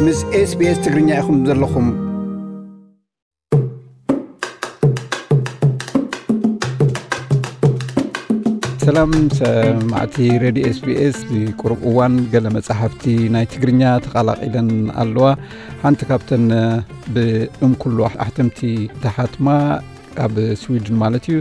ምስ SBS ትግርኛ ኢኹም ዘለኹም። ሰላም ሰማዕቲ ሬድዮ SBS። ቁሩብ እዋን ገለ መጻሕፍቲ ናይ ትግርኛ ተቓላቒለን ኣለዋ። ሓንቲ ካብተን ብእም ኩሉ ኣሕተምቲ ተሓትማ፣ ኣብ ስዊድን ማለት እዩ፣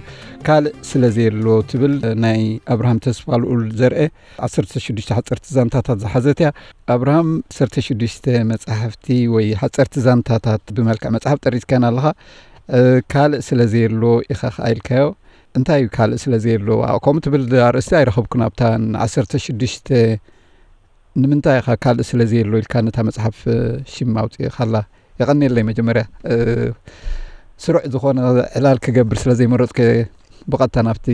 ካልእ ስለ ዘየሎ ትብል፣ ናይ ኣብርሃም ተስፋ ልኡል ዘርኤ ዓሰርተ ሽዱሽተ ሓፀርቲ ዛንታታት ዝሓዘት እያ። ኣብርሃም ዓሰርተ ሽዱሽተ መጻሕፍቲ ወይ ሓፀርቲ ዛንታታት ብመልክዕ መጽሓፍ ጠሪዝካና ኣለኻ። ካልእ ስለ ዘየሎ ኢኻ ከኣ ኢልካዮ። እንታይ እዩ ካልእ ስለ ዘየሎ? ከምኡ ትብል ኣርእስቲ ኣይረኸብኩን ኣብታ ዓሰርተ ሽዱሽተ። ንምንታይ ኢኻ ካልእ ስለ ዘየሎ ኢልካ ነታ መጽሓፍ ሽም ኣውፅእኻላ? የቐንየለይ። መጀመርያ ስሩዕ ዝኾነ ዕላል ክገብር ስለ ዘይመረፅኩ፣ ብቐጥታ ናብቲ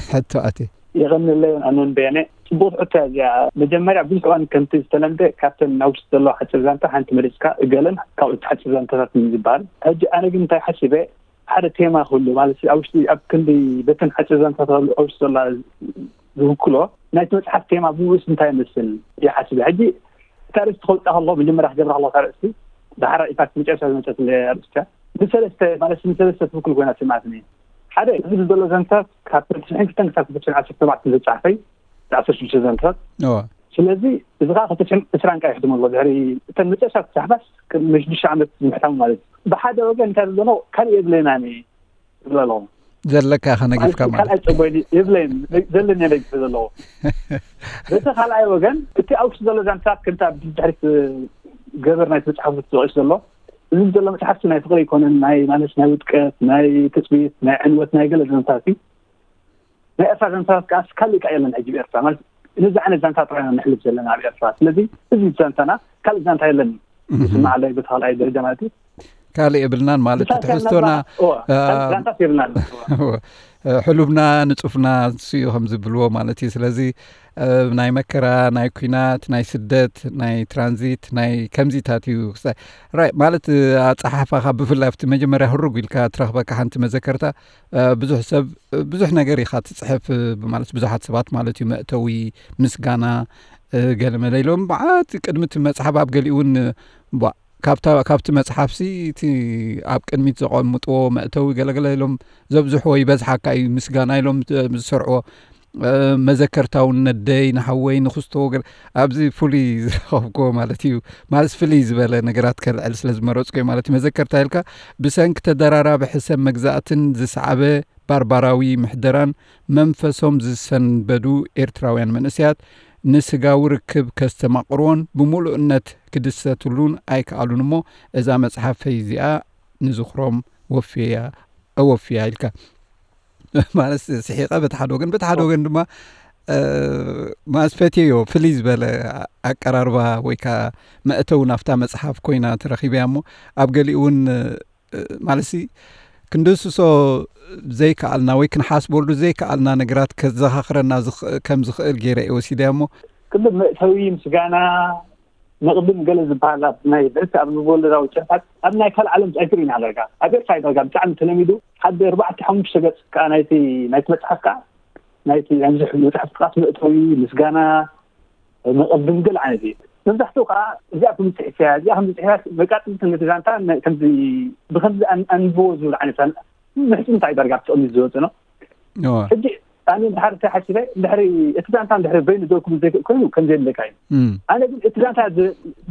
ሕቶ ኣትየ። የቐንየለይ። ኣነን በየነ፣ ጽቡቕ ሕቶ እያ እዚኣ። መጀመርያ ብዙሕ እዋን ከምቲ ዝተለምደ ካብተን ኣብ ውሽጢ ዘለዋ ሓጺር ዛንታ ሓንቲ መሪጽካ እገለን ካብኡ ሓጺር ዛንታታት እዩ ዝበሃል። ሕጂ ኣነ ግን እንታይ ሓሲበ፣ ሓደ ቴማ ክህሉ ማለት ኣብ ውሽጢ ኣብ ክንዲ በተን ሓጺር ዛንታታት ኣብ ውሽጢ ዘላ ዝውክሎ ናይቲ መጽሓፍ ቴማ ብምሉስ እንታይ ይመስል ይሓስብ። ሕጂ እታ ርእስቲ ከውፅኣ ከለኹ መጀመርያ ክገብራ ከለኹ እታ ርእስቲ ብሓራ ኢፋክት መጨረሻ ዝመፀት ኣርእስቲ እያ። ንሰለስተ ማለት ንሰለስተ ትውክል ኮይና ስምዓትኒ። ሓደ እዚ ዘሎ ዘንታት ካብ ተስፍሕን ክልተን ክሳብ ክልተ ዓሰርተ ተባዕተ ዝተፃሕፈይ ዓሰርተ ሽዱሽተ ዘንታት። ስለዚ እዚ ከዓ ክልተ ዕስራን ቃይ ሕትመሎ ድሕሪ እተን መጨረሻ ተፃሕፋስ ቅድሚ ሽዱሽተ ዓመት ምሕታሙ ማለት እዩ። ብሓደ ወገን እንታይ ዝብለኖ ካልእ የብለናኒ ዝብለ ኣለኹ። ዘለካ ኢኻ ነጊፍካ ማለት ካልኣይ ፀቦይ የብለይን ዘለኒ ነጊፈ ዘለኹ። በቲ ካልኣይ ወገን እቲ ኣብ ውሽጢ ዘሎ ዛንታት ከምቲ ኣብ ድሕሪት ገበር ናይ ተፃሕፉ ተጠቂሱ ዘሎ እዚ ዘሎ መፅሓፍቲ ናይ ፍቅሪ ኣይኮነን፣ ናይ ማለት ናይ ውድቀት፣ ናይ ትፅቢት፣ ናይ ዕንወት፣ ናይ ገለ ዛንታት እዩ። ናይ ኤርትራ ዛንታት ከዓ ካልእ ከዓ የለን። ሕጂ ብኤርትራ ማለት ነዚ ዓይነት ዛንታ ጥራይ ኢና ነሕልፍ ዘለና ኣብ ኤርትራ። ስለዚ እዚ ዛንታና ካልእ ዛንታ የለን። ስማዕለይ በቲ ካልኣይ ደረጃ ማለት እዩ። ካልእ የብልናን ማለት ትሕዝቶና ዛንታት የብልናን። ሕሉብና ንጹፍና ንሱ እዩ ከም ዝብልዎ ማለት እዩ። ስለዚ ናይ መከራ፣ ናይ ኲናት፣ ናይ ስደት፣ ናይ ትራንዚት፣ ናይ ከምዚታት እዩ። ራይ ማለት ኣጸሓሕፋኻ ብፍላይ ኣብቲ መጀመርያ ህሩግ ኢልካ ትረኽበካ ሓንቲ መዘከርታ። ብዙሕ ሰብ ብዙሕ ነገር ኢኻ ትጽሕፍ ማለት ብዙሓት ሰባት ማለት እዩ። መእተዊ፣ ምስጋና፣ ገለመለ ኢሎም ብዓት ቅድሚ እቲ መጽሓፍ ኣብ ገሊኡ እውን ካብቲ መጽሓፍሲ እቲ ኣብ ቅድሚት ዘቐምጥዎ መእተዊ ገለገለ ኢሎም ዘብዝሕዎ ይበዝሓካ እዩ ምስጋና ኢሎም ዝሰርዕዎ። መዘከርታ እውን ነደይ ንሓወይ ንክስቶ ገለ ኣብዚ ፍሉይ ዝረኸብክዎ ማለት እዩ። ማለት ፍልይ ዝበለ ነገራት ከልዕል ስለ ዝመረፅኩ ማለት እዩ። መዘከርታ ኢልካ ብሰንኪ ተደራራቢ ሕሰብ መግዛእትን ዝሰዓበ ባርባራዊ ምሕደራን መንፈሶም ዝሰንበዱ ኤርትራውያን መንእሰያት ንስጋዊ ርክብ ከስተማቕርዎን ብምሉእነት ክድሰትሉን ኣይከኣሉን እሞ እዛ መጽሓፈይ እዚኣ ንዝኽሮም ወፍየያ እወፍያ ኢልካ ማለት ስሒቐ በቲ ሓደ ወገን በቲ ሓደ ወገን ድማ ማለት ፈትየዮ ፍልይ ዝበለ ኣቀራርባ ወይ ከዓ መእተው ናብታ መጽሓፍ ኮይና ተረኺበያ እሞ ኣብ ገሊኡ እውን ማለት ክንድስሶ ዘይከኣልና ወይ ክንሓስበሉ ዘይከኣልና ነገራት ከዘኻኽረና ከም ዝኽእል ገይረ እየ ወሲደ እሞ ክልብ መእተዊ ምስጋና መቕድም ገለ ዝበሃል ኣብ ናይ ብሕቲ ኣብ ልቦወለዳዊ ጽሑፋት ኣብ ናይ ካልእ ዓለም ኣይትርእይን ኣለካ ኣብ ኤርትራ ኣይተረጋ ብጣዕሚ ተለሚዱ ሓደ ኣርባዕተ ሓሙሽተ ገጽ ከዓ ናይቲ ናይቲ መጽሓፍ ከዓ ናይቲ ናይዚ መጽሓፍ ጥቓስ መእተዊ ምስጋና መቐድም ገለ ዓይነት እዩ። መብዛሕትኡ ከዓ እዚኣ ከም ዝፅሕፍ እያ እዚኣ ከም ዝፅሕፍ እያ መቃፅልቲ ነቲ ዛንታ ከምዚ ብከምዚ ኣንብቦ ዝብል ዓይነት ምሕፅንታ እዩ ዳርጋ ተቐሚጡ ዝወፅእ ነው። ሕጂ ኣነ እንድሕር እንታይ ሓሲበ እንድሕሪ እቲ ዛንታ እንድሕሪ በይኑ ደው ክብል ዘይክእል ኮይኑ ከም ዘየድለካ እዩ። ኣነ ግን እቲ ዛንታ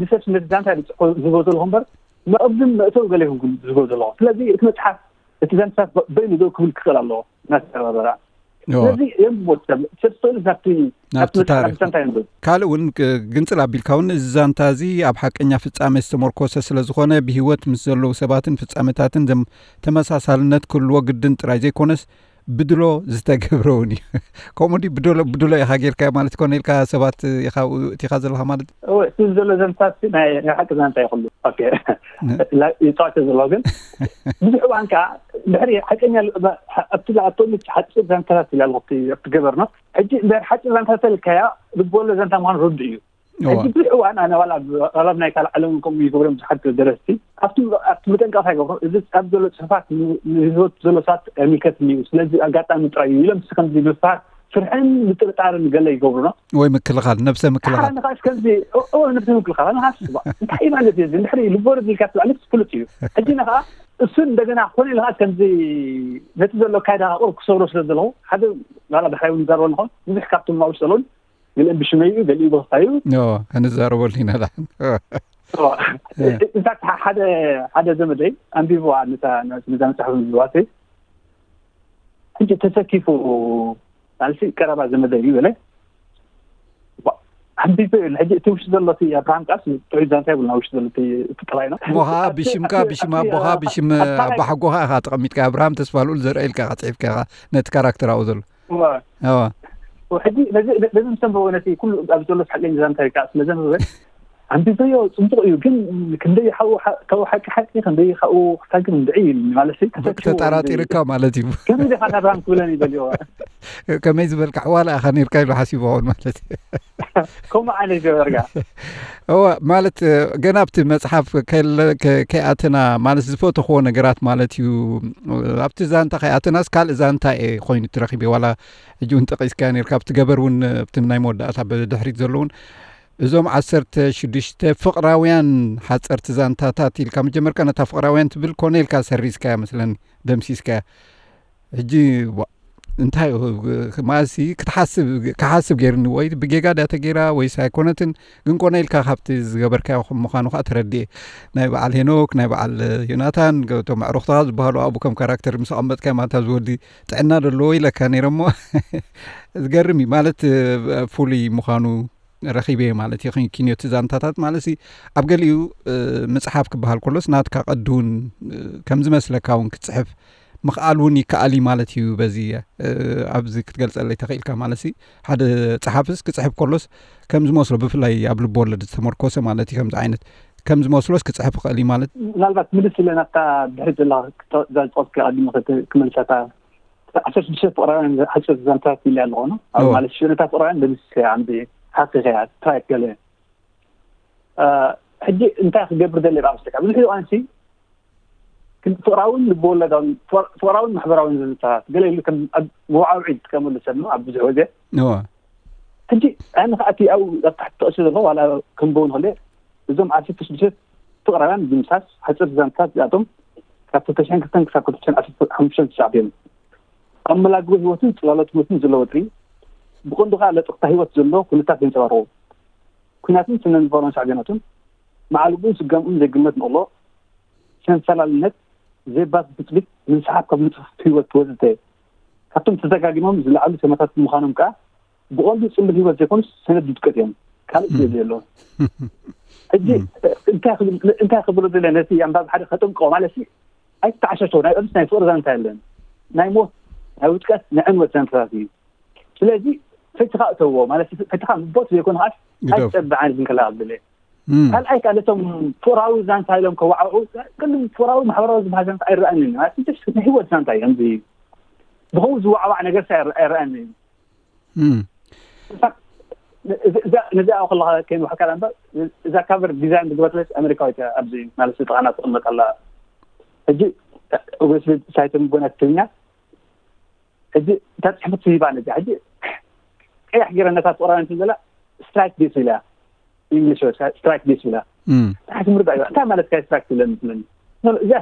ድሰስ ነቲ ዛንታ ዝፅሕፎ ዝህቦ ዘለኹ እምበር መቐድም መእተዊ ገለ ይኹን ዝህቦ ዘለኹ ስለዚ እቲ መፅሓፍ እቲ ዛንታ በይኑ ደው ክብል ክኽእል ኣለዎ እናተተባበራ ስለዚ የንብቦ ሰብ ሰብ ስእሉ ናብቲ ናብቲ ናብቲ መጽሓፍ ታሪኽ። ዛንታ የንብብ ካልእ እውን ግ- ግንጽል ኣቢልካ እውን እዚ ዛንታ እዚ ኣብ ሓቀኛ ፍጻሜ ዝተመርኮሰ ስለ ዝኾነ ብህይወት ምስ ዘለዉ ሰባትን ፍጻሜታትን ዘም- ተመሳሳልነት ክህልዎ ግድን ጥራይ ዘይኮነስ ብድሎ ዝተገብረ እውን እዩ። ከምኡ ድዩ ብድሎ ብድሎ ኢኻ ጌርካዮ ማለት ኮነ ኢልካ ሰባት ኢኻ እቲኻ ዘለኻ ማለት እወ እቲ ዘሎ ዘንታ ናይ ናይ ሓቂ ዛንታ ይኽሉ ይፃወተ ዘሎ ግን ብዙሕ እዋን ከዓ ድሕሪ ሓቀኛ ኣብቲ ኣብቶም ሓፂር ዛንታታት ኢላ ኣለኩ ኣብቲ ገበርኖ ሕጂ እንድሕር ሓፂር ዛንታ ተልካያ ልቦወለድ ዛንታ ምኳኑ ርዱእ እዩ ሕጂ ብዙሕ እዋን ኣነ ዋላ ኣብ ናይ ካልእ ዓለም ከምኡ ይገብሮም ብዙሓት ደረስቲ ኣብቲ ኣብቲ መጠንቀቕታ ይገብሮ እዚ ኣብ ዘሎ ፅሑፋት ንህይወት ዘሎ ሰባት ኣይምልከትን እዩ ስለዚ ኣጋጣሚ ጥራይ እዩ ኢሎም ከምዚ ምፍሃር ፍርሕን ምጥርጣርን ገለ ይገብሩና። ወይ ምክልኻል፣ ነብሰ ምክልኻል። ንኻስ ከምዚ ነብሰ ምክልኻል ንኻስ እንታይ እዩ ማለት እዩ? እንድሕሪ ልቦወለድ ኢልካ ትብላለስ ፍሉጥ እዩ። ሕጂ ንኻ እሱ እንደገና ኮነ ኢልካ ከምዚ ነቲ ዘሎ ኣካይዳ ቁሩብ ክሰብሮ ስለ ዘለኹ ሓደ ላ ብሕራይ እውን ይዛርበ ንኾን ብዙሕ ካብቶም ማውሽ ዘለውን ገሊኦም ብሽመይ እዩ፣ ገሊኡ ብኽፋይ እዩ። ክንዛረበሉ ኢና ዳ እንታ ሓደ ሓደ ዘመደይ ኣንቢብዋ ነዛ መፅሓፍ ዝዋሰይ ሕጂ ተሰኪፉ ናልሲ ቀረባ ዘመደይ እዩ በለ። ኣንቢበ እዩ ሕጂ እቲ ውሽጢ ዘሎ እቲ ኣብርሃም ቃስ ጥዑይ ዛንታ ይብልና ውሽጢ ዘሎ እቲ ጥራይ ነው። እሞ ኸዓ ብሽምካ ብሽም ኣቦኻ ብሽም ኣባሓጎኻ ኢኻ ተቐሚጥካ ኣብርሃም ተስፋ ልኡል ዘርአ ኢልካ ኢኻ ፅሒፍካ ኢኻ ነቲ ካራክተር ኣብኡ ዘሎ። እዋ ሕጂ ነዚ ነዚ ምስ ተንበበ ነቲ ኩሉ ኣብ ዘሎ ሓቀኛ ዛንታ ኢልካ ስለ ዘንበበ ኣንቢበዮ ጽቡቕ እዩ ግን ክንደይ ሓው ካብ ሓቂ ሓቂ ክንደይ ካብኡ ክታግም እንድዒ ማለት እዩ ተፈትዎ ተጠራጢርካ ማለት እዩ። ከመይ ዲኻ ናብራም ክብለኒ ይደልዮ ከመይ ዝበልካ ኣሕዋላ ኢኻ ነርካ ኢሉ ሓሲቡ ኸውን ማለት እዩ። ከምኡ ዓይነት ገበርካ እወ ማለት ገና ኣብቲ መፅሓፍ ከይኣተና ማለት ዝፈተኽዎ ነገራት ማለት እዩ። ኣብቲ ዛንታ ከይኣተናስ ካልእ ዛንታ እየ ኮይኑ ትረኪበ ዋላ ሕጂ እውን ጠቂስካ ነርካ ኣብቲ ገበር እውን ኣብቲ ናይ መወዳእታ ብድሕሪት ዘለውን እዞም ዓሰርተ ሽዱሽተ ፍቕራውያን ሓፀርቲ ዛንታታት ኢልካ መጀመርካ ነታ ፍቕራውያን ትብል ኮነ ኢልካ ሰሪዝካያ መስለኒ ደምሲስካያ ሕጂ እንታይ ማሲ ክትሓስብ ክሓስብ ገይርኒ ወይ ብጌጋ ድያ ተገይራ ወይስ ኣይኮነትን ግን ኮነ ኢልካ ካብቲ ዝገበርካዮ ከም ምዃኑ ከዓ ተረድኤ ናይ በዓል ሄኖክ ናይ በዓል ዮናታን ቶም ኣዕሩኽትኻ ዝበሃሉ ኣብኡ ከም ካራክተር ምስ ኣቐመጥካዮ ማታ ዝወዲ ጥዕና ደለዎ ኢለካ ነይረ እሞ ዝገርም እዩ ማለት ፍሉይ ምዃኑ ረኺበ ማለት እዩ ኪንዮቲ ዛንታታት ማለት ሲ ኣብ ገሊኡ ምፅሓፍ ክበሃል ከሎስ ናትካ ቀዲ እውን ከም ዝመስለካ እውን ክትፅሕፍ ምኽኣል እውን ይከኣል እዩ ማለት እዩ በዚ ኣብዚ ክትገልፀለይ ተኽኢልካ ማለት ሲ ሓደ ፀሓፍስ ክፅሕፍ ከሎስ ከም ዝመስሎ ብፍላይ ኣብ ልቢ ወለድ ዝተመርኮሰ ማለት እዩ ከምዚ ዓይነት ከም ዝመስሎስ ክፅሕፍ ይኽእል እዩ ማለት ምናልባት ምልስ ኢለ ናብታ ድሕሪ ዘላ ዛዝቆት ቀዲሙ ክመልሰታ ዓሰርተ ሽዱሽተ ፍቕራውያን ሓፂር ዛንታታት ኢለ ኣለኹ ኣብ ማለት ሽነታት ፍቕራውያን ደምስሰ ኣንቢ ሓቂ ከያ ትራይት ገለ ሕጂ እንታይ ክገብር ደለ ኣብ ስካ ብዙሕ ቋንሲ ፍቕራውን ልብወለዳውን ፍቕራውን ማሕበራውን ዝንታታት ገለ ኢሉ ከም መዋዓውዒ ዝጥቀመሉ ሰብ ኣብ ብዙሕ ወገ ሕጂ ኣነ ከኣቲ ኣብ ኣብ ታሕቲ ተቐሲ ዘሎ ዋላ ክንበው ንኽእል እዞም ዓሰርተ ሽዱሽተ ፍቕራውያን ብምሳስ ሓፂር ዛንታታት እዚኣቶም ካብ ክልተ ሽሕን ክልተን ክሳብ ክልተ ሽሕን ዓሰርተ ሓሙሽተን ተሳዕብ እዮም። ኣብ መላግቦ ህይወትን ፅላሎት ህይወትን ዘሎ ወጥሪ ብቐንዱ ከዓ ለጥቕታ ህይወት ዘሎ ኩነታት የንፀባርቑ። ኩናትን ስነ ልቦናን ሳዕቤናቱን መዓልቡን ስጋምኡን ዘይግመት ንቕሎ፣ ሰንፈላልነት፣ ዘይባስ ብፅቢት፣ ምንስሓብ ካብ ንፅፉፍ ህይወት ወዘተ ካብቶም ተደጋጊሞም ዝለዓሉ ተመታት ብምዃኖም ከዓ ብቐንዱ ፅምብል ህይወት ዘይኮኑስ ሰነድ ውድቀት እዮም። ካልእ ስለ ዘየሎ ሕጂ እንታይ ክብሎ ዘለ ነቲ ኣንባቢ ሓደ ከጠንቅቆ ማለት ኣይተዓሸሸ ናይ ቅዱስ ናይ ፍቅሪ ዛንታ የለን ናይ ሞት ናይ ውድቀት ናይ ዕንወት ዛንታታት እዩ። ስለዚ ፈትኻ እተዎ ማለት ፈትኻ ምቦት ዘይኮነ ከዓስ ኣይትጠብዕ ዓይነት ዝንከላ ኣብለ ካልኣይ ከዓ ነቶም ፍቅራዊ ዛንታ ኢሎም ከዋዕዑ ቅድም ፍቅራዊ ማሕበራዊ ዝበሃል ዛንታ ኣይረኣንን ማለት ንህይወት ዛንታ እዩ ከምዚ ብኸው ዝዋዕዋዕ ነገር ኣይረኣንን ነዚኣ ከለካ ከይንውሓካ እምበር እዛ ካቨር ዲዛይን ዝገበርለት ኣሜሪካዊት ኣብዚ ማለት ጥቓና ትቕመጥ ኣላ ሕጂ ኦብስሊ ሳይቶም ጎና ትግርኛ ሕጂ እታ ፅሕፍቲ ሂባ ነዚኣ ሕጂ ቀያሕ ገይረ ነታ ፍቕራውያን ዘላ ስትራይክ ዲስ ኢላ ኢንግሊሽ ስትራይክ ዲስ ኢላ ንሓንቲ ምርዳእ ይባ እንታይ ማለት ካይ ስትራይክ ትብለኒ ትብለኒ እዚኣ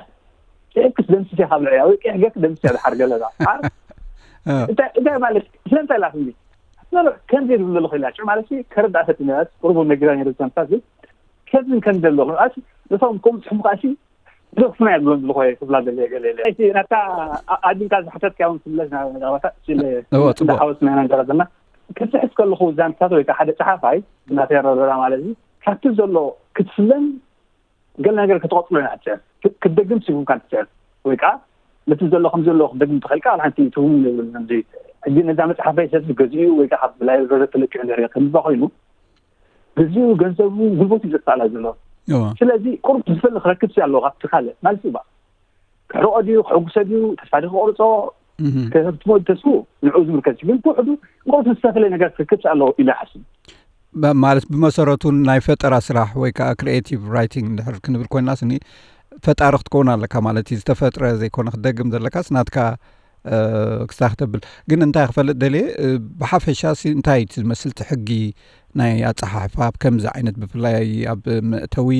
ጽሕፍክስ ደምስስ ኢኻ ብልዕያ ወይ ቀይሕ ገርክ ደምስስ ኢኻ ድሓር ገለዛ እንታይ ማለት ስለምንታይ ኢላ ትብሊ ከምዚ ዝብለሉ ክኢላ ሽዑ ማለት ከረዳእ ፈትነ ቁርቡ ነጊራ ነይረ ዝሰምታት ግን ከምዚ ከም ዘለኹ ነቶም ከም ጽሑፍ ከኣሲ ብዘፍና እያ ዝብሎም ዝልኾ ክብላ ዘለ ገለ ናታ ኣዲንካ ዝሓተትካ እውን ክብለስ ናባታ ሓወስና ኢና ንገራ ዘለና ክፅሕፍ ከለኹ ዛንታት ወይ ሓደ ፀሓፋይ እናተረረራ ማለት እዩ ካብቲ ዘሎ ክትፍለን ገለ ነገር ክትቐፅሎ ኢና ትፅዕር ክትደግም ሲጉምካ ትፅዕር ወይ ከዓ ነቲ ዘሎ ከም ዘሎ ክትደግም ትኽእልካ ኣብ ሓንቲ ትውን ንብል ሕጂ ነዛ መፅሓፈይ ሰብ ገዚኡ ወይ ከዓ ካብ ላይብረሪ ተለቂዑ ንርኢ ከምባ ኮይኑ ግዜኡ ገንዘቡ ጉልበቱ እዩ ዘጣላ ዘሎ ስለዚ ቁሩብ ዝፈሊ ክረክብ ኣለዎ ካብቲ ካልእ ማለት እዩ ክሕርቆ ድዩ ክሕጉሰ ድዩ ተስፋ ድዩ ክቆርፆ ከህብትሞ ተስፉ ንዕኡ ዝምልከት ግን ብውሕዱ ንቆርቱ ዝተፈለየ ነገር ክረክብ ኣለዎ ኢለ ሓስብ ማለት ብመሰረቱ ናይ ፈጠራ ስራሕ ወይ ከዓ ክሪኤቲቭ ራይቲንግ እንድሕር ክንብል ኮይና ስኒ ፈጣሪ ክትከውን ኣለካ ማለት እዩ ዝተፈጥረ ዘይኮነ ክትደግም ዘለካስ ናትካ ክስታ ክተብል ግን እንታይ ክፈልጥ ደልየ፣ ብሓፈሻ ሲ እንታይ እቲ ዝመስል እቲ ሕጊ ናይ ኣጸሓሕፋ ኣብ ከምዚ ዓይነት፣ ብፍላይ ኣብ መእተዊ፣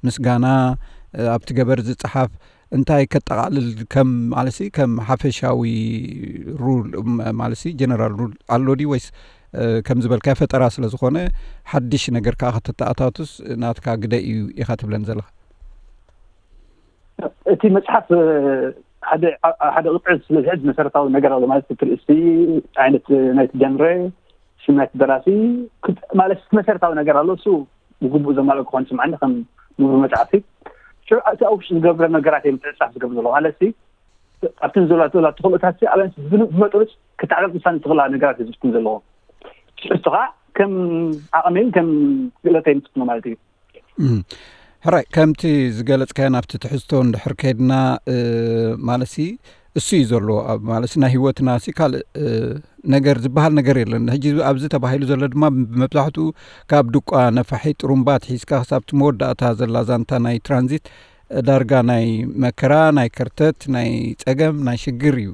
ምስጋና፣ ኣብቲ ገበር ዝጸሓፍ እንታይ ከጠቓልል ከም፣ ማለት ሲ ከም ሓፈሻዊ ሩል፣ ማለት ሲ ጀነራል ሩል ኣሎ ድዩ ወይስ ከም ዝበልካዮ ፈጠራ ስለ ዝኾነ ሓድሽ ነገር ከኣ ከተተኣታቱስ ናትካ ግደ እዩ ኢኻ ትብለኒ ዘለኻ? እቲ መጽሓፍ ሓደ ሓደ ቅጥዒ ስለ ዝሕዝ መሰረታዊ ነገር ኣሎ ማለት እቲ ርእሲ ዓይነት ናይቲ ጀንረ ሽም ናይቲ ደራሲ ማለት መሰረታዊ ነገር ኣሎ እሱ ብግቡእ ዘማልኦ ክኾን ስምዓኒ ከም ምሁር መጽሓፍቲ ሽዑ እቲ ኣብ ውሽጢ ዝገብረ ነገራት እዮም ምትዕጻፍ ዝገብር ዘሎ ማለት ኣብቲ ዘሎ ተላ ተኽእሎታት ኣብያን ብመጠኑ ክተዓቀብ ውሳነ ዝኽእላ ነገራት ዝፍትን ዘለዎ ሽዑ ከዓ ከም ዓቐመይን ከም ክእለተይን ዝፍትኖ ማለት እዩ ሕራይ ከምቲ ዝገለጽካዮ ናብቲ ትሕዝቶ እንድሕር ከይድና ማለሲ እሱ እዩ ዘሎ። ማለሲ ናይ ህይወትና ሲ ካልእ ነገር ዝበሃል ነገር የለን። ሕጂ ኣብዚ ተባሂሉ ዘሎ ድማ ብመብዛሕትኡ ካብ ድቋ ነፋሒ ጥሩምባ ትሒዝካ ክሳብቲ መወዳእታ ዘላ ዛንታ ናይ ትራንዚት ዳርጋ ናይ መከራ፣ ናይ ከርተት፣ ናይ ጸገም፣ ናይ ሽግር እዩ።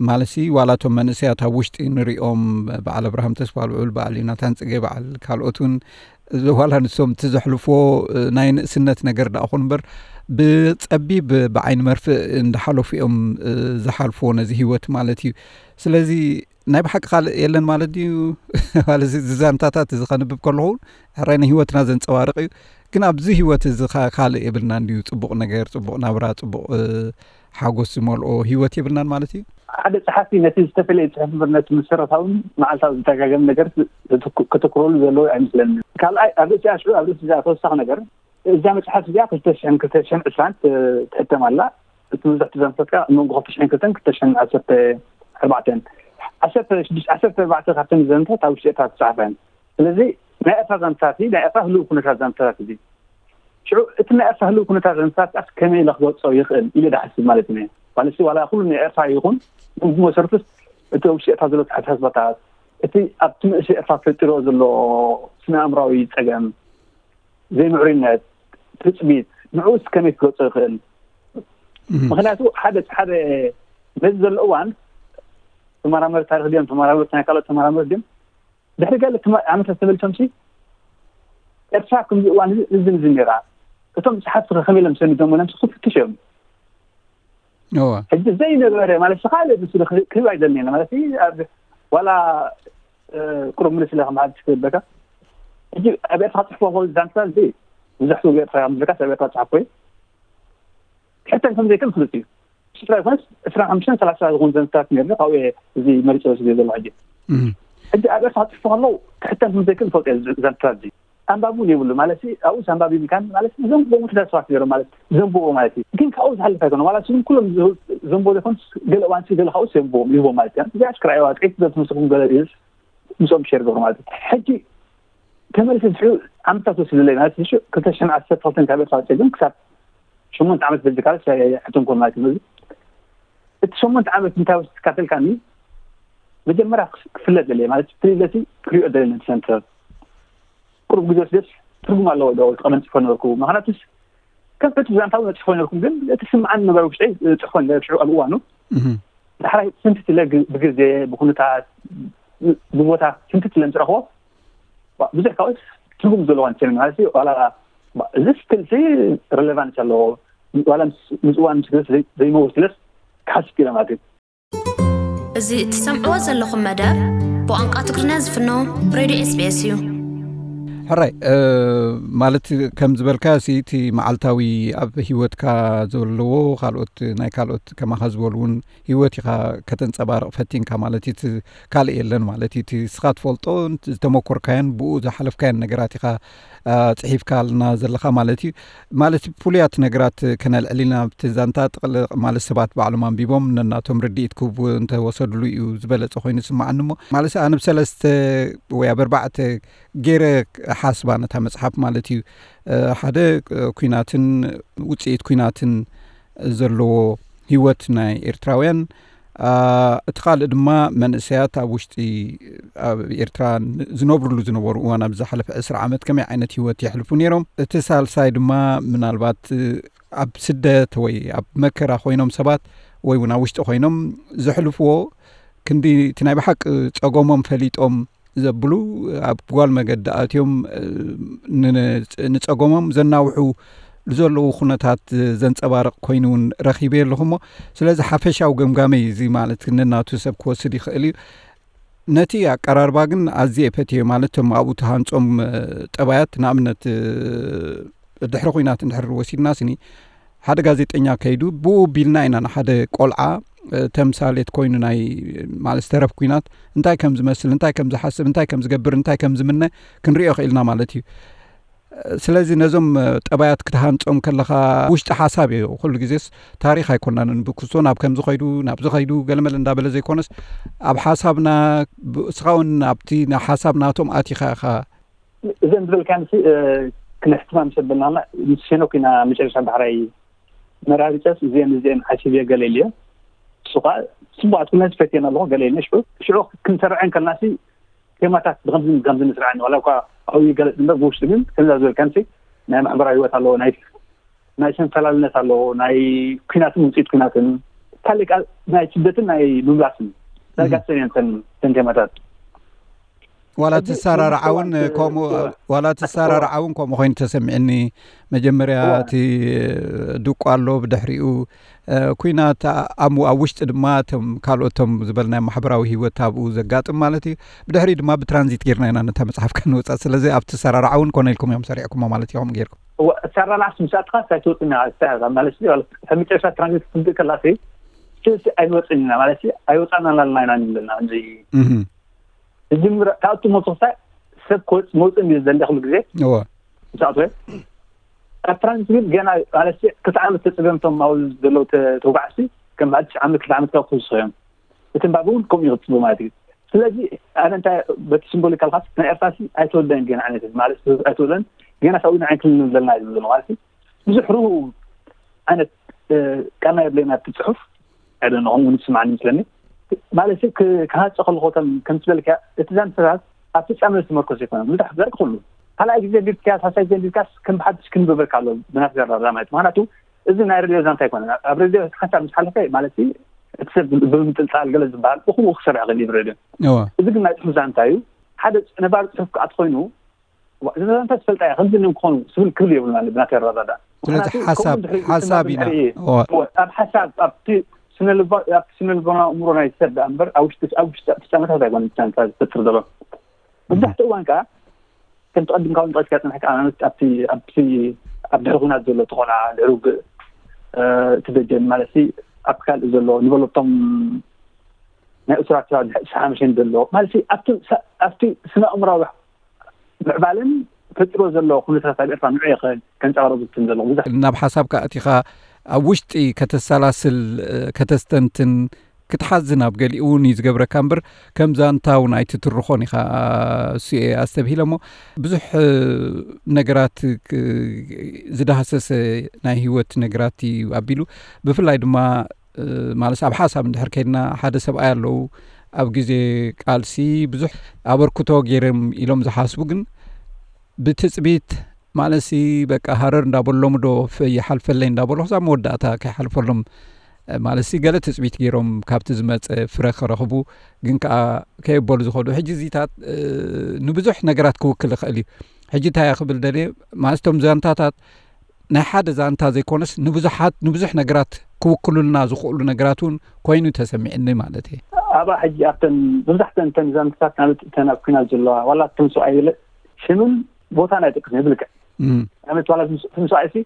ማለሲ ዋላ እቶም መንእሰያት ኣብ ውሽጢ ንሪኦም በዓል ኣብርሃም ተስፋ ልዑል፣ በዓል ዮናታን ጽጌ፣ በዓል ካልኦት እውን ዋላ ንሶም እቲ ዘሕልፎ ናይ ንእስነት ነገር ደኣ ኹን እምበር ብጸቢብ ብዓይኒ መርፍእ እንዳሓለፉ እዮም ዝሓልፎ ነዚ ህይወት ማለት እዩ። ስለዚ ናይ ብሓቂ ካልእ የለን ማለት ድዩ? ማለት እዚ ዛንታታት እዚ ከንብብ ከለኹ ሕራይ ንህይወትና ዘንጸባርቕ እዩ። ግን ኣብዚ ህይወት እዚ ካልእ የብልናን ድዩ? ጽቡቕ ነገር፣ ጽቡቕ ናብራ፣ ጽቡቕ ሓጎስ ዝመልኦ ህይወት የብልናን ማለት እዩ። ሓደ ጸሓፊ ነቲ ዝተፈለየ ጽሑፍ እምበር ነቲ መሰረታውን መዓልታዊ ዝደጋገም ነገር ከተኩረሉ ዘለዎ ኣይመስለኒ። ካልኣይ ኣብ ርእሲኣ ሽዑ ኣብ ርእሲ እዚኣ ተወሳኺ ነገር እዛ መጽሓፍ እዚኣ ክልተ ሽሕን ክልተ ሽሕን ዕስራን ትሕተም ኣላ። እቲ መብዛሕትኡ ዛንታታት ከዓ ኣብ መንጎ ክልተ ሽሕን ክልተን ክልተ ሽሕን ዓሰርተ ኣርባዕተን ዓሰርተ ሽዱሽተ ዓሰርተ ኣርባዕተ ካብተን ዛንታታት ኣብ ውሽጢ ኤርትራ ዝተጻሕፋ እየን። ስለዚ ናይ ኤርትራ ዛንታታት እዩ፣ ናይ ኤርትራ ህሉው ኩነታት ዛንታታት እዩ። ሽዑ እቲ ናይ ኤርትራ ህሉው ኩነታት ዛንታታት ከመይ ኢለ ክገልጾ ይኽእል ኢለ ዝሓስብ ማለት እዩ። ማለት ዋላ ኩሉ ናይ ኤርትራ ይኹን ግን ብመሰረቱስ እቲ ኣብ ውሽጢ ኤርትራ ዘሎ ኣተሓሳስባታት እቲ ኣብቲ መንእሰይ ኤርትራ ፈጢሮ ዘሎ ስነ ኣእምራዊ ጸገም ዘይምዕሩይነት ትጽቢት ንዕኡስ ከመይ ክገልጾ ይኽእል? ምክንያቱ ሓደ ሓደ ነዚ ዘሎ እዋን ተመራመርቲ ታሪክ ድዮም ተመራመርቲ ናይ ካልኦት ተመራመርቲ ድዮም ድሕሪ ገለ ዓመታት ተመልሶም ሲ ኤርትራ ከምዚ እዋን እዚ እዚ ነራ እቶም ጸሓፍቲ ከመይ ኢሎም ሰኒዶም ኢሎም ክፍትሽ እዮም ሕጂ ዘይነበረ ማለት ካልእ ምስ ክህብ ኣይደልኒ ማለት ዋላ ቁሩብ ምልስ ኢለ ከም ሓድሽ ክህበካ ሕጂ ኣብ ኤርትራ ጽሕፎ ኮ ዛንታ እዚ ብዙሕ ሰብ ኤርትራ ምዝካ ሰብ ኤርትራ ጽሓፎ እዩ ሕተን ከም ዘይከም ፍሉጥ እዩ ሽፍራ ይኮንስ ዕስራን ሓሙሽተን ሰላሳ ዝኾኑ ዘንትታት ነርኒ ካብኡ እዚ መሪጸ ወስደ ዘሎ ሕጂ ሕጂ ኣብ ኤርትራ ጽሕፎ ከለዉ ክሕተን ከም ዘይክእል ፈልጦ ዘንትታት እዚ ኣንባቢ እውን የብሉ ማለት ኣብኡስ ኣንባቢ ምካን ማለት ዘንብቦ ውሕዳት ሰባት ነሮም ማለት ዘንብቦ ማለት እዩ ግን ካብኡ ዝሓልፍ ኣይኮነ ዋላ ስም ኩሎም ዘንብቦ ዘይኮን ገለ እዋን ገለ ካብኡስ የንብቦም ይህቦም ማለት እዩ እዚኣ ክረኣይዋ ጥቂት ዘትመስልኩም ገለ ምስኦም ሸር ገብሩ ማለት እዩ ሕጂ ተመልሰ ዝሕሉ ዓመታት ወሲድለይ ማለት እዩ ክልተ ሽሕን ዓሰርተ ክልተን ካብ ኤርትራ ወፂአ ግን ክሳብ ሸሞንተ ዓመት በዚ ካልስ ኣይሕተንኩን ማለት እዩ እቲ ሸሞንተ ዓመት እንታይ ወስድካ ተልካኒ መጀመርያ ክፍለጥ ደለየ ማለት ፍልይ ኢለሲ ክሪኦ ደለኒ ሰንተር ቁሩብ ግዜ ወስደስ ትርጉም ኣለዎ ዶ ቀደም ጽፎ ነበርኩ ምክንያቱስ ከም ሕቱ ዛንታዊ ነጽፎ ነበርኩም ግን እቲ ስምዓን ነበረ ውሽጠይ ጽፎ ነበር ሽዑ ኣብ እዋኑ ዳሕራይ ስንትት ኢለ ብግዜ ብኩነታት ብቦታ ስንትት ኢለ ምስ ረኽቦ ብዙሕ ካብኡስ ትርጉም ዘለዎ ንሰሚ ማለት እዩ ዋላ እዚ ስቲል ሲ ሬሌቫንስ ኣለዎ ዋላ ምስ እዋን ምስ ግዜ ዘይመውት ኢለስ ክሓስብ ኢለ ማለት እዩ እዚ እትሰምዕዎ ዘለኹም መደብ ብቋንቋ ትግርኛ ዝፍኖ ሬድዮ ኤስቢኤስ እዩ። ሕራይ ማለት ከም ዝበልካ ሲ እቲ መዓልታዊ ኣብ ህይወትካ ዘለዎ ካልኦት ናይ ካልኦት ከማኻ ዝበሉ እውን ህይወት ኢኻ ከተንፀባርቕ ፈቲንካ ማለት እቲ ካልእ የለን ማለት እቲ ስኻ ትፈልጦ ዝተመኮርካዮን ብኡ ዝሓለፍካዮን ነገራት ኢኻ ፅሒፍካልና ዘለኻ ማለት እዩ። ማለት ፍሉያት ነገራት ከነልዕል ኢና ኣብቲ ዛንታ ጥቕልቕ ማለት ሰባት ባዕሎም ኣንቢቦም ነናቶም ርድኢት ክህቡ እንተወሰድሉ እዩ ዝበለጸ ኮይኑ ዝስምዓኒ እሞ ማለት ኣነ ብሰለስተ ወይ ኣብ ኣርባዕተ ገይረ ሓስባ ነታ መጽሓፍ ማለት እዩ። ሓደ ኩናትን ውጽኢት ኩናትን ዘለዎ ህይወት ናይ ኤርትራውያን እቲ ካልእ ድማ መንእሰያት ኣብ ውሽጢ ኣብ ኤርትራ ዝነብርሉ ዝነበሩ እዋን ኣብ ዝሓለፈ ዕስራ ዓመት ከመይ ዓይነት ህይወት የሕልፉ ነይሮም። እቲ ሳልሳይ ድማ ምናልባት ኣብ ስደት ወይ ኣብ መከራ ኮይኖም ሰባት ወይ እውን ኣብ ውሽጢ ኮይኖም ዘሕልፍዎ ክንዲ እቲ ናይ ብሓቂ ጸገሞም ፈሊጦም ዘብሉ ኣብ ጓል መገዲ ኣትዮም ንጸገሞም ዘናውሑ ዘለዉ ኩነታት ዘንጸባርቕ ኮይኑ እውን ረኺበ ኣለኹ እሞ ስለዚ ሓፈሻዊ ገምጋመይ እዚ ማለት ነናቱ ሰብ ክወስድ ይኽእል እዩ። ነቲ ኣቀራርባ ግን ኣዝየ ፈትዮ ማለት እቶም ኣብኡ ተሃንጾም ጠባያት ንኣብነት ድሕሪ ኩናት እንድሕር ወሲድና ስኒ ሓደ ጋዜጠኛ ከይዱ ብኡ ቢልና ኢና ንሓደ ቆልዓ ተምሳሌት ኮይኑ ናይ ማለት ዝተረፍ ኩናት እንታይ ከም ዝመስል እንታይ ከም ዝሓስብ እንታይ ከም ዝገብር እንታይ ከም ዝምነ ክንሪኦ ክኢልና ማለት እዩ። ስለዚ ነዞም ጠባያት ክትሃንጾም ከለኻ ውሽጢ ሓሳብ እዩ ኩሉ ግዜስ ታሪኽ ኣይኮናንን ብክስቶ ናብ ከምዚ ኸይዱ ናብዚ ኸይዱ ገለመለ እንዳበለ ዘይኮነስ ኣብ ሓሳብና እስኻ እውን ኣብቲ ሓሳብ ናቶም ኣቲኻ ኢኻ። እዘን ዝበልካንሲ ክነሕትማ ምስ ኣበልናና ምስ ሄኖክ ኢና መጨረሻ ባሕራይ መራርጨስ እዚአን እዚአን ሓሲብ ገለ ኢልዮ። እሱ ከዓ ጽቡቃት ኩለን ፈትየን ኣለኹ ገለ ኢልኒ ሽዑ ሽዑ ክንሰርዐን ከልናሲ ቴማታት ብከምዚ ከምዚ ንስርዐን ዋላ እኳ ኣብኡ ይገለጽ እምበር ብውሽጢ ግን ከምዛ ዝበልካንሲ ናይ ማሕበራዊ ህይወት ኣለዎ ናይ ናይ ሰንፈላልነት ኣለዎ ናይ ኩናትን ውፅኢት ኩናትን ካልእ ናይ ስደትን ናይ ምምላስን ዳርጋሰን እየን ተን ቴማታት። ዋላ ትሰራርዓ እውን ከምኡ ዋላ ትሰራርዓ እውን ከምኡ ኮይኑ ተሰሚዕኒ። መጀመርያ እቲ ድቁ ኣሎ ብድሕሪኡ ኩናት ኣብ ውሽጢ ድማ እቶም ካልኦቶም ዝበልናዮ ማሕበራዊ ህይወት ኣብኡ ዘጋጥም ማለት እዩ። ብድሕሪኡ ድማ ብትራንዚት ጌርና ኢና ነታ መፅሓፍ ከንወፃ ስለዚ ኣብቲ ሰራርዓ እውን ኮነ ኢልኩም እዮም ሰሪዕኩሞ ማለት ኢኹም ጌርኩም። ሰራርዓ ስምሳጥካ ሳይትወፅና ማለት ካብ መጨረሻ ትራንዚት ክትምፅእ ከላሲ ስልሲ ኣይንወፅን ኢና ማለት ኣይወፃና ላልና ኢና ንብለና እዚ እጅምረ ካብቲ ሞት ክሳይ ሰብ ክወፅ መውፅእ እንዲ ዘለ ኩሉ ግዜ እወ። ዝኣትወ ኣብ ፍራንስ ግን ገና ማለት ክልተ ዓመት ተፅገምቶም ኣብኡ ዘለዉ ተጓዓዝቲ ከም በዓል ትሽዓ ዓመት ክልተ ዓመት ካብ ክውስኹ እዮም እቲ እምባብ እውን ከምኡ ይቕፅሉ ማለት እዩ ስለዚ ኣነ እንታይ በቲ ሲምቦሊካል ካስ ናይ ኤርትራ ሲ ኣይተወደን ገና ዓይነት ማለት ኣይተወደን ገና ካብኡ ንዓይ ክልል ዘለና እዩ ዝብሎ ማለት እዩ ብዙሕ ርሁ ዓይነት ቃና የብለና እቲ ፅሑፍ ኣይደነኹም እውን ዝስማዓኒ ይመስለኒ ማለት ክሃፀ ከለኹ ከም ከምትበልካ እቲ ዛንታታት ኣብ ፍፃመ ዝተመርኮሰ ይኮነ ብዙሕ ዘርኢ ኩሉ ካልኣይ ግዜ ቢልካ ሳሳይ ዘንቢልካስ ከም ብሓድሽ ክንብበልካ ኣሎ ብናት ዘራዳ ማለት ምክንያቱ እዚ ናይ ሬድዮ ዛንታ ይኮነ ኣብ ሬድዮ ሓንሳብ ምስ ሓለፈ ማለት እቲ ሰብ ብምጥልፃል ገለ ዝበሃል ብኩምኡ ክሰርሕ ክእል እዩ ሬድዮ እዚ ግን ናይ ፅሑፍ ዛንታ እዩ ሓደ ነባር ፅሑፍ ክኣት ኮይኑ እዛ ዛንታ ትፈልጣ እያ ከምዚ ን ክኾኑ ስብል ክብል የብሉና ብናት ዘራዳ ስለዚ ሓሳብ ሓሳብ ኢና ኣብ ሓሳብ ኣብቲ ስነልቦና እምሮ ናይ ሰብ ደኣ እምበር ኣብ ውሽጢ ኣብ ውሽጢ ፍጻመታት ኣይኮነ ዛንታ ዝፈጥር ዘሎ መብዛሕትኡ እዋን ከዓ ከም ተቐድምካ እውን ጠቂስካ ዝፀናሕካ ኣብነት ኣብቲ ኣብቲ ኣብ ድሕሪ ኩናት ዘሎ ተኾና ድሕሪ ውግእ እቲ ደጀን ማለት ኣብ ካልእ ዘሎ ንበለቶም ናይ እሱራት ሓምሸን ዘሎ ማለት ኣብቲ ኣብቲ ስነ ኣእምራዊ ምዕባለን ፈጢሮ ዘሎ ኩነታት ኣብ ኤርትራ ንዑ ከንፀባረቁ ዝትን ዘሎ ብዙሕ ናብ ሓሳብካ ኣቲኻ ኣብ ውሽጢ ከተሰላስል ከተስተንትን ክትሓዝን ኣብ ገሊኡ እውን እዩ ዝገብረካ እምበር ከም ዛንታ እውን ኣይትትርኾን ኢኻ እሱ እየ ኣስተብሂለ እሞ ብዙሕ ነገራት ዝዳህሰሰ ናይ ህይወት ነገራት እዩ ኣቢሉ ብፍላይ ድማ ማለት ኣብ ሓሳብ እንድሕር ከይድና ሓደ ሰብኣይ ኣለዉ ኣብ ግዜ ቃልሲ ብዙሕ ኣበርክቶ ገይሮም ኢሎም ዝሓስቡ ግን ብትፅቢት ማለትሲ በቃ ሃረር እንዳበሎም ዶ ይሓልፈለይ እንዳበሉ ክሳብ መወዳእታ ከይሓልፈሎም ማለትሲ ገለ ትፅቢት ገይሮም ካብቲ ዝመፀ ፍረ ክረኽቡ ግን ከዓ ከየበሉ ዝኸዱ ሕጂ እዚታት ንብዙሕ ነገራት ክውክል ይኽእል እዩ ሕጂ እንታይ ክብል ደልየ ማለት እቶም ዛንታታት ናይ ሓደ ዛንታ ዘይኮነስ ንብዙሓት ንብዙሕ ነገራት ክውክሉልና ዝኽእሉ ነገራት እውን ኮይኑ ተሰሚዕኒ ማለት እየ። ኣብኣ ሕጂ ኣብተን መብዛሕተን እተን ዛንታታት ማለት እተን ኣብ ኩናት ዘለዋ ዋላ እቶም ሰብኣይ ገለ ሽምን ቦታን ኣይጠቅስን ይብልካ ማለት ዋላ እቶም ሰብኣይ ሲ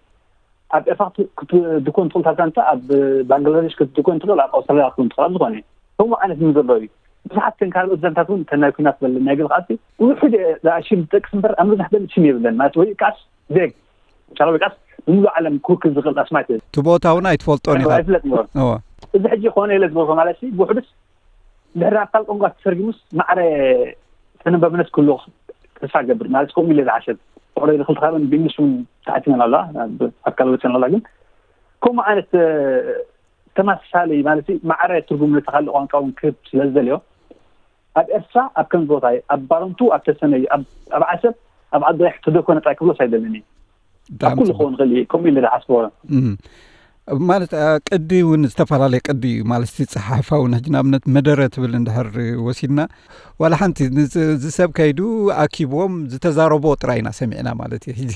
ኣብ ኤርትራ ክትድኮን ትኽእል እታ ዛንታ ኣብ ባንግላዴሽ ክትድኮን ትኽእል ኣብ ኣውስትራልያ ክትኮን ትኽእል ዝኾነ ከምኡ ዓይነት ምን ዘሎ እዩ ብዙሓት ተን ካልኦት ዛንታት እውን ተናይ ኩናት በለ ናይ ገለ ከዓሲ ውሑድ ዝኣሽም ዝጠቅስ እምበር ኣብ መብዛሕተን ሽም የብለን ማለት ወይ ቃስ ዜግ ቻላዊ ቃስ ብምሉእ ዓለም ክውክል ዝኽእል ኣስማት እቲ ቦታ እውን ኣይትፈልጦን ኢኻ ኣይፍለጥ እምበር እወ እዚ ሕጂ ክኾነ ኢለ ዝበልኮ ማለት ሲ ብውሕዱስ ድሕሪ ኣካል ቋንቋ ተተርጊሙስ ማዕረ ተነበብነት ክህልዎ ተስፋ ገብር ማለት ከምኡ ኢለ ዝሓሰብ ኦረዲ ክልተ ካብን ብእንግሊሽ እውን ተሓቲመን ኣለዋ ኣካል ወፅን ኣላ ግን ከምኡ ዓይነት ተመሳሳሊ ማለት ማዕረ ትርጉም ነቲ ካልእ ቋንቋ እውን ክህብ ስለ ዝደልዮ ኣብ ኤርትራ ኣብ ከም ቦታይ ኣብ ባረንቱ ኣብ ተሰነይ ኣብ ዓሰብ ኣብ ዓዲ ተደኮነ ጥራይ ክብሎስ ኣይደልን እዩ ኣብ ኩሉ ክኸውን ይኽእል እዩ ከምኡ ኢለ ዝሓስቦ ማለት ቅዲ እውን ዝተፈላለየ ቅዲ እዩ። ማለት እቲ ፀሓፋ እውን ሕጂ ንኣብነት መደረ ትብል እንድሕር ወሲድና፣ ዋላ ሓንቲ እዚ ሰብ ከይዱ ኣኪብዎም ዝተዛረቦ ጥራይ ኢና ሰሚዕና ማለት እዩ። ሕጂ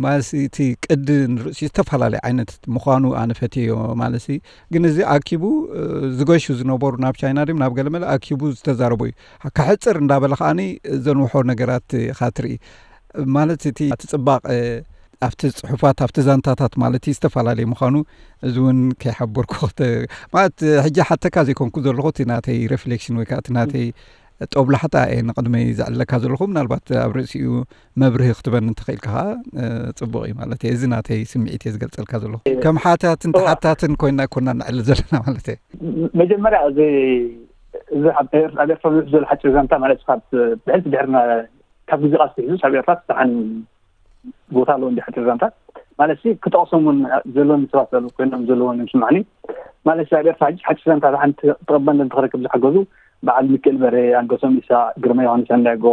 ማለት እቲ ቅዲ ንርእሲ ዝተፈላለየ ዓይነት ምዃኑ ኣነ ፈትዮ ማለት እዩ። ግን እዚ ኣኪቡ ዝገሹ ዝነበሩ ናብ ቻይና ድም ናብ ገለመለ ኣኪቡ ዝተዛረቦ እዩ። ከሕፅር እንዳበለ ከዓኒ ዘንውሖ ነገራት ኢኻ ትርኢ። ማለት እቲ እቲ ፅባቐ ኣብቲ ፅሑፋት ኣብቲ ዛንታታት ማለት እዩ ዝተፈላለየ ምዃኑ እዚ እውን ከይሓበርኩ ማለት ሕጂ ሓተካ ዘይኮንኩ ዘለኹ እቲ ናተይ ሬፍሌክሽን ወይ ከዓ እቲ ናተይ ጦብላሕታ እየ ንቕድመይ ዘዕለካ ዘለኹ። ምናልባት ኣብ ርእሲኡ መብርሂ ክትበኒ እንተኽኢልካ ከዓ ፅቡቕ እዩ ማለት እየ። እዚ ናተይ ስምዒት እየ ዝገልፀልካ ዘለኹ። ከም ሓታትን ተሓታትን ኮይና ኮና ንዕሊ ዘለና ማለት እየ። መጀመርያ እዚ እዚ ኣብ ኤርትራ ዘሎ ሓፂር ዛንታ ማለት ካብ ብሕልቲ ድሕርና ካብ ግዜ ቃልሲ ሒዙ ኣብ ኤርትራ ዝተሓን ቦታ ኣለዎ እንዲ ሓፂር ዛንታ ማለት ክጠቕሶም እውን ዘለኒ ሰባት ዘለዉ ኮይኖም ዘለዎም ይስማዕኒ። ማለት ኣብ ኤርትራ ሕጂ ሓፂር ዛንታ ሓንቲ ተቐባልነት ንክረክብ ዝሓገዙ በዓል ሚካኤል በርሄ፣ ኣንገሶም ኢሳቅ፣ ግርማ ዮሃንስ ኣንዳጎ፣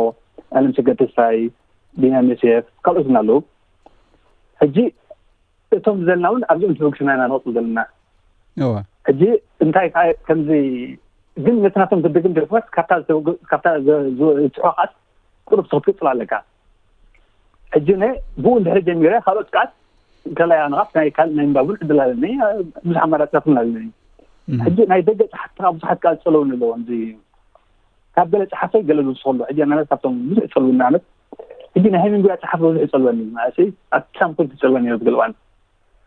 ኣለምሰገድ ተስፋይ፣ ቢንያም ዮሴፍ ካልኦትን ኣለዉ። ሕጂ እቶም ዘለና እውን ኣብዚኦም ተበግስና ኢና ንቐፅል ዘለና። ሕጂ እንታይ ከዓ ከምዚ ግን ነቲ ናቶም ግድግን ደርፍታት ካብታ ዝፅሖ ከዓስ ቁሩብ ክትቅፅል ኣለካ። ሕጂ ነ ብኡ እንድሕር ጀሚረ ካልኦት ከዓስ ከላይ ኣንቓፍ ናይ ካልእ ናይ ምንባብን ዕድል ኣለኒ። ብዙሕ ኣማራፅታት እውን ኣለኒ። ሕጂ ናይ ደገ ፀሓፍቲ ከዓ ብዙሓት ከዓስ ፀለውኒ ኣለዎም። እዚ ካብ ገለ ፀሓፈይ ገለ ዝውስኸሉ ሕጂ ኣናለት ካብቶም ብዙሕ ፀልውኒ ኣነት ሕጂ ናይ ሃይሚንጎ ፀሓፍ ብዙሕ ይፀልወኒ ማለት ኣብቲ ሳምኮል ትፀልወኒ ነሩ ዝገልዋን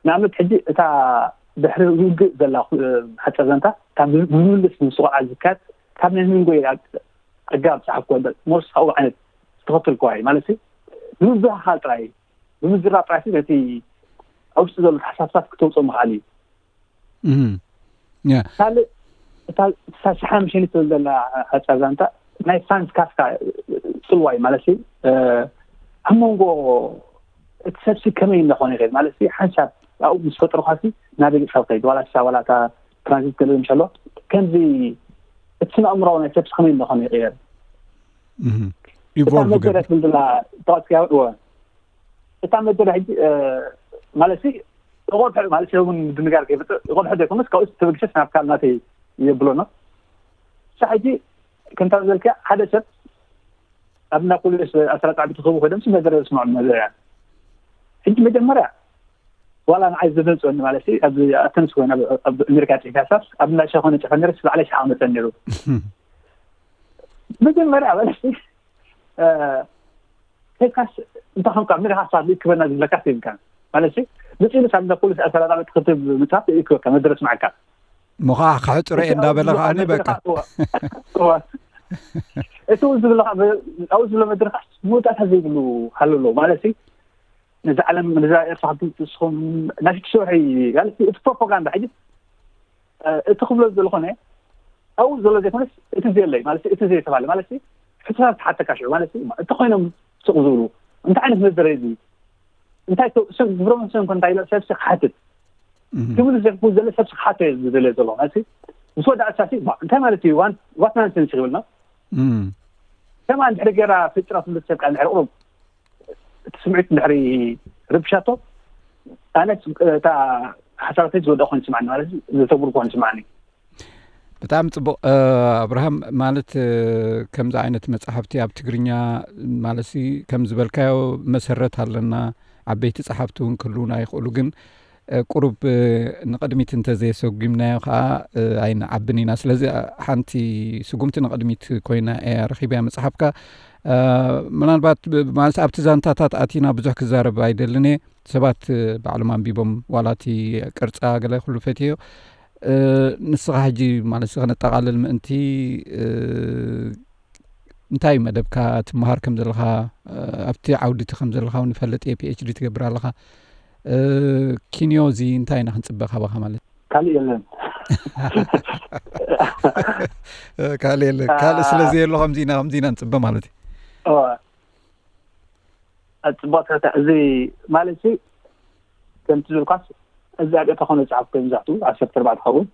ንኣብነት ሕጂ እታ ድሕሪ ውግእ ዘላ ሓፀር ዛንታ ካብ ብምልስ ምስቑዓ ዝካየድ ካብ ናይ ሃይሚንጎ ኣገባብ ፀሓፍኮ ሞርስ ካብኡ ዓይነት ዝተኸተልኩዋ እዩ ማለት ብምብህሃል ጥራይ ብምዝራብ ጥራይ ነቲ ኣብ ውሽጢ ዘሎ ተሓሳስባት ክተውፅኦ ምኽኣል እዩ። ካልእ እታ ሳሽሓ ምሸኒ ትብል ዘላ ሓፃር ዛንታ ናይ ፍራንስ ካፍካ ፅልዋ እዩ ማለት ኣብ መንጎ እቲ ሰብሲ ከመይ እናኾነ ይኸድ ማለት ሓንሳብ ኣብኡ ምስ ፈጥርኳሲ ናበይ ገፅካ ትኸይድ ዋላ ሳ ዋላ እታ ትራንዚት ገለ ምሸሎ ከምዚ እቲ ስነ ኣእምራዊ ናይ ሰብሲ ከመይ እናኾነ ይቕየር። እታ መደረ ትብል ዘላ ተዋፅያ እወ እታ መደረ ሕጂ ማለት እቆልሑ ማለት እውን ድንጋር ከይፈጥር እቆልሑ ዘይኮነስ ካብኡ ተበግሰስ ናብ ካል ናተይ የብሎ ነው። እሳ ሕጂ ከምታ ዘልካ ሓደ ሰብ ኣብ ናፖሊስ ኣስራ ጣዕሚ ትኸቡ ኮይዶም መደረ ዝስምዑ መደረ ሕጂ መጀመርያ ዋላ ንዓይ ዘደንፅወኒ ማለት ኣብ ኣተንስ ኮይና ኣብ ኣሜሪካ ፅሒፋ ሳስ ኣብ ናሻ ኮነ ፅፈ ነርስ ባዕለ ሻ መፀ ነሩ መጀመርያ ማለት ከይካስ እንታይ ከምካ ምን ካ ሳብ ክበና ዝብለካ ይብልካ ማለት ንፅኢሉ ሳብ እንዳ ፖሊስ ኣሰላጣበት ክትብ ምፅራፍ ይክበካ መድረስ ማዕካ ምኻ ክሕፅሮ እየ እንዳበለ ከዓኒ በቃ እቲ እውን ዝብለካ ኣብኡ ዝብሎ መድረካስ መውጣእታ ዘይብሉ ሃሎ ኣለዎ ማለት ነዚ ዓለም ነዛ ኤርትራ ክትስኹም ናይ ሽወሒ እቲ ፕሮፓጋንዳ ሕጂ እቲ ክብሎ ዝኾነ ኣብኡ ዘሎ ዘይኮነስ እቲ ዘየለይ ማለት እቲ ዘይተባለ ማለት ሕቶታት ክሓተካ ሽዑ ማለት እንተኮይኖም ስቕ ዝብሉ እንታይ ዓይነት መደረ እዚ እንታይ ግብሮም ሰንኮ እንታይ ኢሎ ሰብሲ ክሓትት ክብል ዘርኩ ዘሎ ሰብሲ ክሓቶ ዝደለ ዘሎ ማለት ምስ ወደ ኣሳሲ እንታይ ማለት እዩ ዋት ናንሰንስ ይብልና ከማን ድሕሪ ገራ ፍጥረት ምስ ሰብ ቃል ድሕሪ ቁሩብ እቲ ስምዒት ድሕሪ ርብሻቶ ኣነ እታ ሓሳባተይ ዝወደ ኮን ስማዕኒ ማለት ዝተብሩ ኮን ስማዕኒ ብጣዕሚ ፅቡቅ ኣብርሃም ማለት ከምዚ ዓይነት መፅሓፍቲ ኣብ ትግርኛ ማለት ከም ዝበልካዮ መሰረት ኣለና ዓበይቲ ፀሓፍቲ እውን ክህልውና ይኽእሉ ግን ቁሩብ ንቕድሚት እንተዘየሰጉምናዮ ከዓ ኣይንዓብን ኢና ስለዚ ሓንቲ ስጉምቲ ንቕድሚት ኮይና እያ ረኺብያ መፅሓፍካ ምናልባት ማለት ኣብቲ ዛንታታት ኣቲና ብዙሕ ክዛረብ ኣይደልን እየ ሰባት ባዕሎም ኣንቢቦም ዋላ እቲ ቅርፃ ገለ ኩሉ ፈትዮ ንስኻ ሕጂ ማለት ከነጠቓልል ምእንቲ እንታይ መደብካ ትመሃር ከም ዘለኻ ኣብቲ ዓውዲ እቲ ከም ዘለኻ እውን ይፈልጥ እየ ፒኤችዲ ትገብር ኣለኻ ኪንዮ እዚ እንታይ ኢና ክንፅበ ካባኻ ማለት ካልእ የለን ካልእ የለን ካልእ ስለዚ የሎ ከምዚ ኢና ከምዚ ኢና ንፅበ ማለት እዩ ኣፅቡቅ ተታ እዚ ማለት ሲ ከምቲ ዝብልኳስ እዚ ኣብ ኤርትራ ኮነ ዝፅሓፍ ኮይኑ መብዛሕትኡ ዓሰርተ ኣርባዕተ ኸውን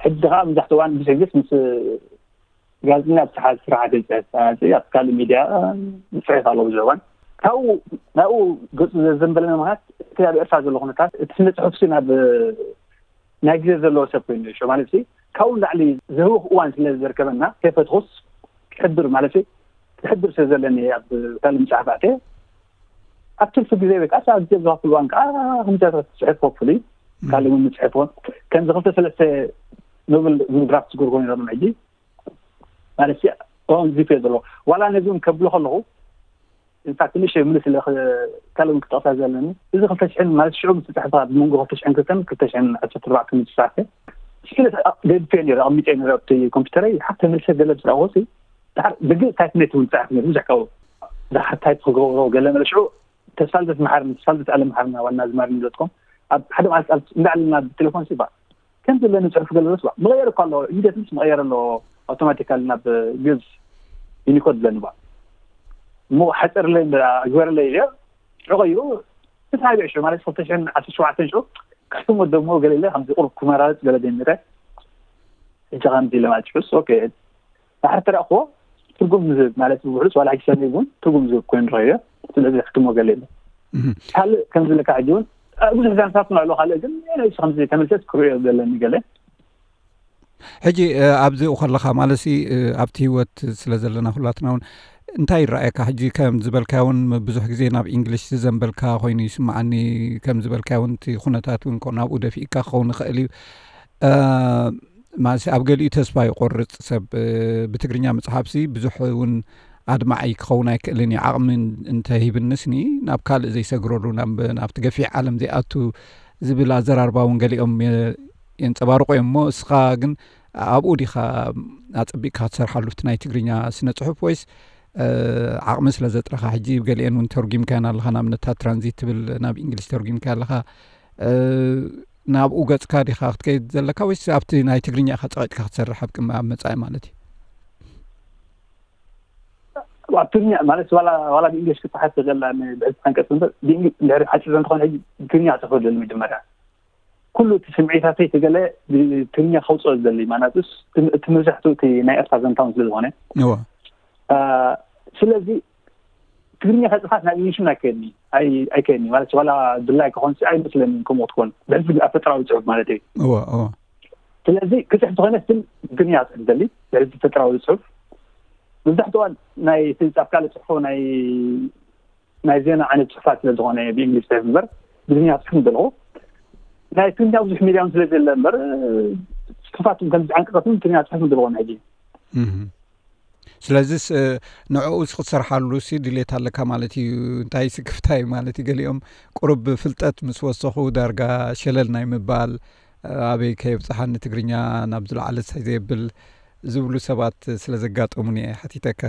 ሕጂ ከዓ መብዛሕትኡ እዋን ብስግስ ምስ ጋዜጠኛ ኣብ ስራሕ ስራሕ ገፀ ኣብ ካልእ ሚድያ ዝፅሕፍ ኣሎ ብዙሕ እዋን ካብኡ ናብኡ ገፁ ዘዘንበለና ምክንያት እቲ ኣብ ኤርትራ ዘሎ ኩነታት እቲ ስነ ጽሑፍሲ ናብ ናይ ግዜ ዘለዎ ሰብ ኮይኑ ሽ ማለት ሲ ካብኡ ንላዕሊ ዘህውኽ እዋን ስለ ዘርከበና ከይፈትኹስ ክሕብር ማለት ክሕብር ስለ ዘለኒ ኣብ ካልእ መጽሓፍ ኣተ ኣብ ትርፊ ግዜ ወይ ከዓ ኣብ ግዜ ዝኸፍል እዋን ከዓ ክምታታት ጽሕፍ ከፍሉ ካልእ እውን ምጽሕፎ ከምዚ ክልተ ሰለስተ ኖብል ዝብል ድራፍት ዝገብርኮ ነሮም ሕጂ ማለት ዚ ፌ ዘሎ ዋላ ነዚ እውን ከብሎ ከለኹ ኢንፋክት ንሽ ምልስ ኢለ ካልእ እውን ክጠቕሳ ዘለኒ እዚ ክልተ ሽሕን ማለት ሽዑ ምስ ተጻሕፈ ኣብ መንጎ ክልተ ሽሕን ክልተን ክልተ ሽሕን ዓሰርተ ኣርባዕተን ዝተጻሕፈ ስለ ገድፌ ነይረ ኣቕሚጠ ነይረ ኣብቲ ኮምፒውተረይ ሓፍ ተመልሰ ገለ ዝረኣኹ ሲ ድሓር ብግእ ታይፕኔት እውን ጻሕፍ ነይሩ ብዙሕ ካብኡ ድሓር ታይፕ ክገብሮ ገለ መለ ሽዑ ተስፋልደት መሓርኒ ተስፋልደት ኣለ መሓርና ዋና ዝማርኒ ዶትኮም ኣብ ሓደ መዓልቲ እንዳዕልና ብቴሌፎን ሲ ባ ከም ዘለኒ ጽሑፍ ገለ ባ መቐየር እኳ ኣሎ ኢሚዲየትሊ መቐየር ኣሎ ኣውቶማቲካሊ ናብ ግዝ ዩኒኮድ ብለኒ ባ እሞ ሓፀርለይ ግበረለይ ኢለ ሽዑ ቀይሩ ተሳቢዕ ሽዑ ማለት ክልተ ሽሕን ዓሰርተ ሸውዓተን ሽዑ ክሕትሞ ደሞ ገለ ኢለ ከምዚ ቁሩብ ክመራረፅ ገለ ጀሚረ ሕጂ ከምዚ ኢለ ማለት ሽዑስ ኦኬ ድሓር ተረእኽዎ ትርጉም ዝህብ ማለት ብውሕዱስ ዋላ ሕጂ ሰብ እውን ትርጉም ዝህብ ኮይኑ ረኸዮ ስለዚ ሕትሞ ገለ ኢለ ካልእ ከም ዝብለካ ሕጂ እውን ብዙሕ ዛንታት ንዕሎ ካልእ ግን ከምዚ ተመልሰት ክርእዮ ዘለኒ ገለ ሕጂ ኣብዚኡ ከለኻ ማለሲ ኣብቲ ህይወት ስለ ዘለና ኩላትና እውን እንታይ ይረኣየካ ሕጂ ከም ዝበልካዮ እውን ብዙሕ ግዜ ናብ ኢንግሊሽ ዝዘንበልካ ኮይኑ ይስምዓኒ ከም ዝበልካዮ እውን እቲ ኩነታት እውን ናብኡ ደፊእካ ክኸውን ይኽእል እዩ ማለሲ ኣብ ገሊኡ ተስፋ ይቆርፅ ሰብ ብትግርኛ መፅሓፍሲ ብዙሕ እውን ኣድማዓይ ክኸውን ኣይክእልን እዩ ዓቕሚ እንተሂብንስኒ ናብ ካልእ ዘይሰግረሉ ናብቲ ገፊሕ ዓለም ዘይኣቱ ዝብል ኣዘራርባ እውን ገሊኦም የንፀባርቆ እዮም እሞ እስኻ ግን ኣብኡ ዲኻ ኣፀቢቕካ ክትሰርሓሉ እቲ ናይ ትግርኛ ስነ ፅሑፍ ወይስ ዓቕሚ ስለ ዘጥረኻ ሕጂ ገሊአን እውን ተርጉምካየን ኣለኻ ንኣብነታት ትራንዚት ትብል ናብ እንግሊሽ ተርጉምካ ኣለኻ ናብኡ ገፅካ ዲኻ ክትከይድ ዘለካ ወይስ ኣብቲ ናይ ትግርኛ ኢኻ ፀቂጥካ ክትሰርሕ ኣብ ቅድሚ ኣብ መፃኢ ማለት እዩ ኣብ ትግርኛ ማለት ዋላ ዋላ ብእንግሊሽ ክትሓት ዘላ ብሕዚ ሓንቀፅ እምበር ድሕሪ ሓፂር እንተኾነ ሕጂ ትግርኛ ክፅሕፈሉ መጀመርያ ኩሉ እቲ ስምዒታተይ ተገለ ብትግርኛ ከውፅኦ ዝደሊ ማናቱስ እቲ መብዛሕትኡ እቲ ናይ ኤርትራ ዘንታውን ስለ ዝኾነ ስለዚ ትግርኛ ከፅፋት ናብ ኢንሽን ኣይከየድኒ ኣይከየድኒ ማለት ዋላ ድላይ ክኾን ኣይመስለኒ ከምኡ ክትኮን ብሕዚ ኣብ ፈጠራዊ ፅሑፍ ማለት እዩ እወ እወ ስለዚ ክፅሕፍ ዝኾነ ስል ትግርኛ ፅሕፍ ደሊ ብሕዚ ፈጠራዊ ፅሑፍ መብዛሕትኡ ናይ ኣብ ካልእ ፅሕፎ ናይ ናይ ዜና ዓይነት ፅሑፋት ስለ ዝኾነ ብእንግሊዝ ፅሕፍ እምበር ብትግርኛ ክፅሕፍ ደለኹ ናይ ትግርኛ ብዙሕ ሚድያ ስለ ዘለ እምበር ፅሑፋት ከምዚ ዓንቀፃት ትግርኛ ፅሕፍ ደለኹ ሕጂ ስለዚስ ንዕኡ ክትሰርሓሉ ሲ ድሌት ኣለካ ማለት እዩ እንታይ ስክፍታይ ማለት እዩ ገሊኦም ቁሩብ ፍልጠት ምስ ወሰኹ ዳርጋ ሸለል ናይ ምባል ኣበይ ከየብፅሓኒ ትግርኛ ናብ ዝለዓለ ሳይ ዘየብል ዝብሉ ሰባት ስለ ዘጋጠሙኒ እየ ሓቲተካ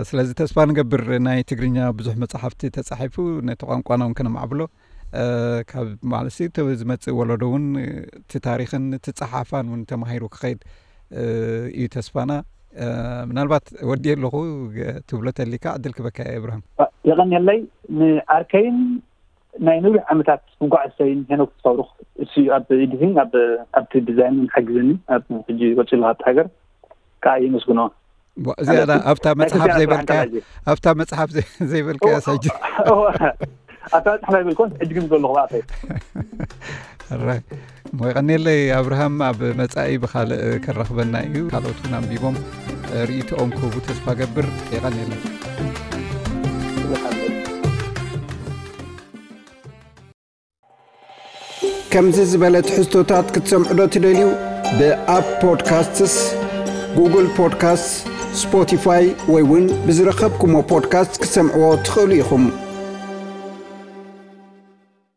ስለዚ ተስፋ ንገብር ናይ ትግርኛ ብዙሕ መፅሓፍቲ ተፃሒፉ ነቲ ቋንቋና እውን ከነማዕብሎ ካብ ማለት ዝመፅእ ወለዶ እውን እቲ ታሪክን እቲ ፀሓፋን እውን ተማሂሩ ክኸይድ እዩ ተስፋና ምናልባት ወዲ ኣለኹ ትብሎ ተሊካ ዕድል ክበካ እብርሃም የቐንየለይ ንዓርከይን ናይ ነዊሕ ዓመታት መጓዓዝተይን ሄኖክ ተስፋብሩኽ እሱ ኣብ ኤዲቲንግ ኣብቲ ዲዛይን ሓግዘኒ ኣብ ሕጂ ወፂሉ ኣብቲ ሃገር ከዓ የመስግኖ እዚኣ ኣብታ መፅሓፍ ዘይበልካያ ኣብታ መፅሓፍ ዘይበልካያ ሕጂ ኣብታ መፅሓፍ ኣይበልኮን ሕጂ ግን ዘለኹ ኣፈይ ራይ እሞ የቐኒለይ ኣብርሃም ኣብ መጻኢ ብኻልእ ከራኽበና እዩ ካልኦት እውን ኣንቢቦም ርእይቶኦም ክህቡ ተስፋ ገብር የቐኒለይ ከምዚ ዝበለ ትሕዝቶታት ክትሰምዑ ዶ ትደልዩ? ብኣፕ ፖድካስትስ፣ ጉግል ፖድካስት፣ ስፖቲፋይ ወይ እውን ብዝረኸብኩሞ ፖድካስት ክትሰምዕዎ ትኽእሉ ኢኹም።